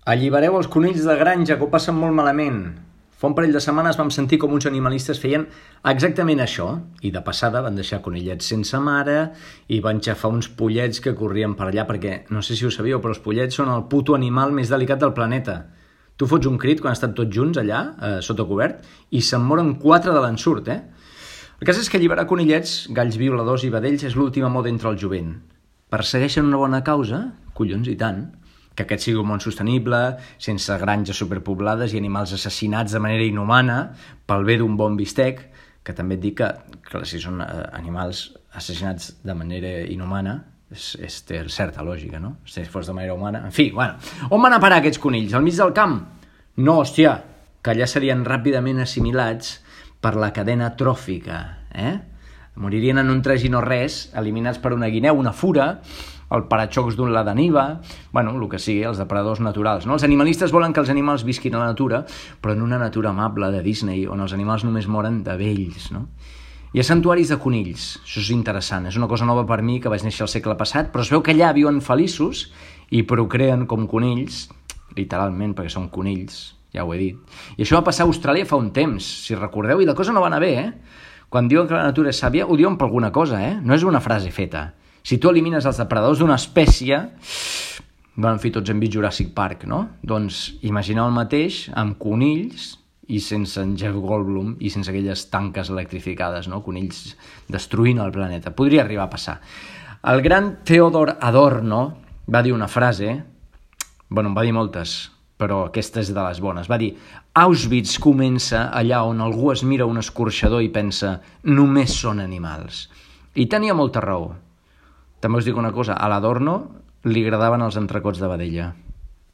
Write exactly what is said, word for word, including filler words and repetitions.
Allibereu els conills de granja, que ho passen molt malament. Fa un parell de setmanes vam sentir com uns animalistes feien exactament això, i de passada van deixar conillets sense mare i van xafar uns pollets que corrien per allà, perquè no sé si ho sabíeu, però els pollets són el puto animal més delicat del planeta. Tu fots un crit quan estan tots junts allà, eh, sota cobert, i se'n moren quatre de l'ensurt, eh? El cas és que alliberar conillets, galls violadors i vedells és l'última moda entre el jovent. Persegueixen una bona causa? Collons, i tant. Que aquest sigui un món sostenible, sense granges superpoblades i animals assassinats de manera inhumana pel bé d'un bon bistec, que també et dic que, que si són animals assassinats de manera inhumana, és, és, té certa lògica, no? Si fos de manera humana... En fi, bueno, on van a parar aquests conills? Al mig del camp? No, hòstia, que allà serien ràpidament assimilats per la cadena tròfica, eh? Moririen en un tres i no res, eliminats per una guineu, una fura, el paraxocs d'un la d'aniva, bueno, el que sigui, els depredadors naturals, no? Els animalistes volen que els animals visquin a la natura, però en una natura amable de Disney, on els animals només moren de vells, no? Hi ha santuaris de conills, això és interessant, és una cosa nova per mi, que vaig néixer al segle passat, però es veu que allà viuen feliços i procreen com conills, literalment, perquè són conills, ja ho he dit. I això va passar a Austràlia fa un temps, si recordeu, i la cosa no va anar bé, eh? Quan diuen que la natura és sàvia, ho diuen per alguna cosa, eh? No és una frase feta. Si tu elimines els depredadors d'una espècie, van fer tots hem vist Jurassic Park, no? Doncs imagineu el mateix amb conills i sense en Jeff Goldblum i sense aquelles tanques electrificades, no? Conills destruint el planeta. Podria arribar a passar. El gran Theodor Adorno va dir una frase, bueno, en va dir moltes, però aquesta és de les bones. Va dir, Auschwitz comença allà on algú es mira un escorxador i pensa, només són animals. I tenia molta raó. També us dic una cosa, a l'Adorno li agradaven els entrecots de vedella.